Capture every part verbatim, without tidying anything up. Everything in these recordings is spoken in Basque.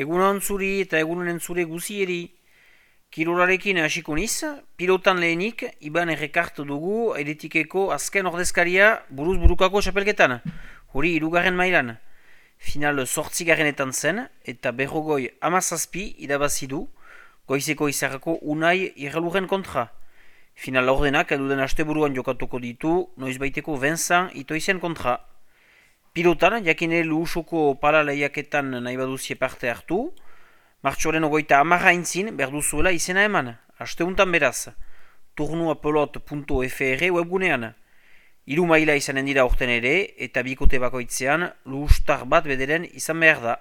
Egunon zuri eta egunen zure guzieri. Kirolarekin hasiko niz, pilotan lehenik, Iban errekartu dugu eretikeko azken ordezkaria buruz burukako txapelketan, hori hirugarren mailan. Final zortzigarrenetan zen, eta berrogoi amazazpi irabazi du, goizeko izarrako Unai Irraluren kontra. Final ordenak eduden asteburuan jokatuko ditu, noizbaiteko Vincent Itoizen kontra. Pilotan, jakine luhusoko pala lehiaketan nahi baduzie parte hartu, martxoren ogoita amarra intzin berduzuela izena eman, asteuntan beraz, turnuapelot punto f r webgunean. Hiru maila izanen dira orten ere, eta bikote bakoitzean luhustar bat bederen izan behar da.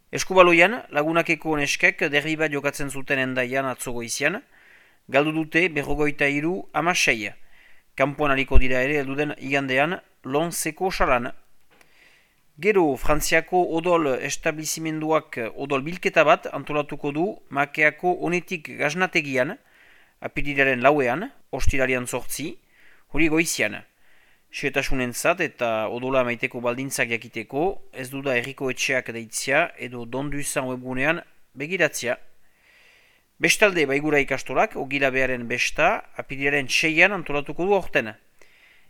Eskubaloian, lagunakeko neskek derbi bat jokatzen zuten endaian atzogo izian, galdu dute berrogoita hiru amasei. Kampuan aliko dira ere elduden igandean Lonseko salan. Gero, Frantziako odol establizimenduak odol bilketa bat antolatuko du Makeako onetik gaznategian, apirilaren lauean, ostirarian zortzi, hori goizian. Xetasunentzat eta odola maiteko baldintzak jakiteko, ez duda herriko etxeak deitzia edo donduzan webgunean begiratzia. Bestalde baigura ikastolak, ogilabearen besta, apirilaren seian antolatuko du orten.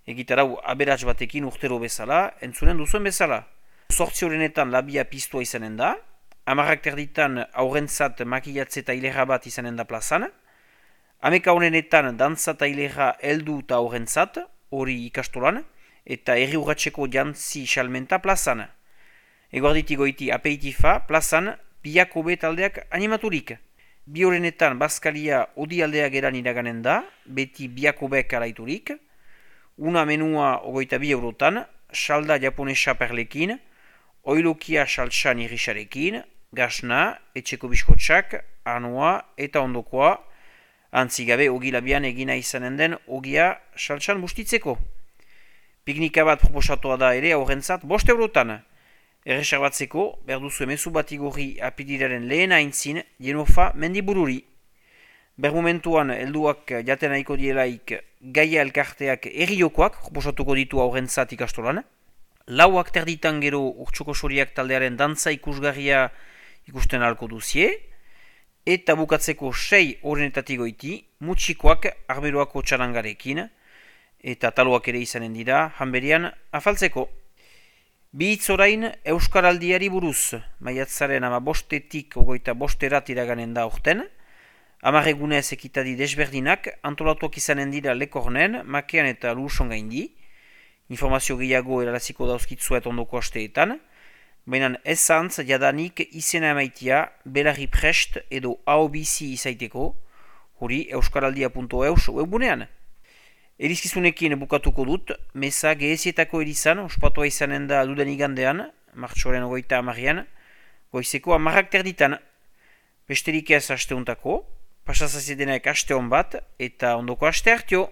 Egitarau aberats batekin urtero bezala, entzunen duzuen bezala. Zortzi horrenetan labia piztua izanen da, amarrak terditan aurrentzat makilatze eta hilera bat izanen da plazan, ameka honenetan dantza eta hilera heldu eta aurrentzat, hori ikastolan, eta herri urratxeko jantzi salmenta plazan. Eguarditi goiti apeitifa plazan biako taldeak animaturik. Bi horrenetan bazkalia odi aldea geran iraganen da, beti biako bek alaiturik, una menua ogoita bi eurotan, salda japonesa perlekin, oilokia saltsan irisarekin, gasna, etxeko biskotsak, anoa eta ondokoa, antzigabe ogilabian egina izanen den ogia saltsan bustitzeko. Piknika bat proposatua da ere aurrentzat bost eurotan. Erreserbatzeko, berduzu emezu bat igorri apidilaren lehen aintzin, Jenofa mendibururi. Bermomentuan helduak jaten nahiko dielaik gaia elkarteak erriokoak proposatuko ditu aurrentzat ikastolan. Lauak terditan gero urtsoko soriak taldearen dantza ikusgarria ikusten ahalko duzie. Eta bukatzeko sei horrenetatik goiti, mutxikoak arberoako txarangarekin. Eta taloak ere izanen dira, hanberian afaltzeko. Bi hitz orain Euskaraldiari buruz, maiatzaren ama bostetik ogoita bosterat iraganen da urten. Amarregunez ekitadi desberdinak antolatuak izanen dira Lekornen, Makean eta Luson gaindi. Informazio gehiago eraraziko dauzkitzuet ondoko asteetan. Baina ezantz jadanik izena emaitia belarri prest edo aobizi izaiteko, hori euskaraldia punto eus webgunean. Erizkizunekin bukatuko dut, meza gehezietako erizan, ospatua izanen da duden igandean, martxoren ogoita amarrian, goizeko amarrak terditan. Besterik ez asteuntako, pasazazedenak aste hon bat, eta ondoko aste hartio.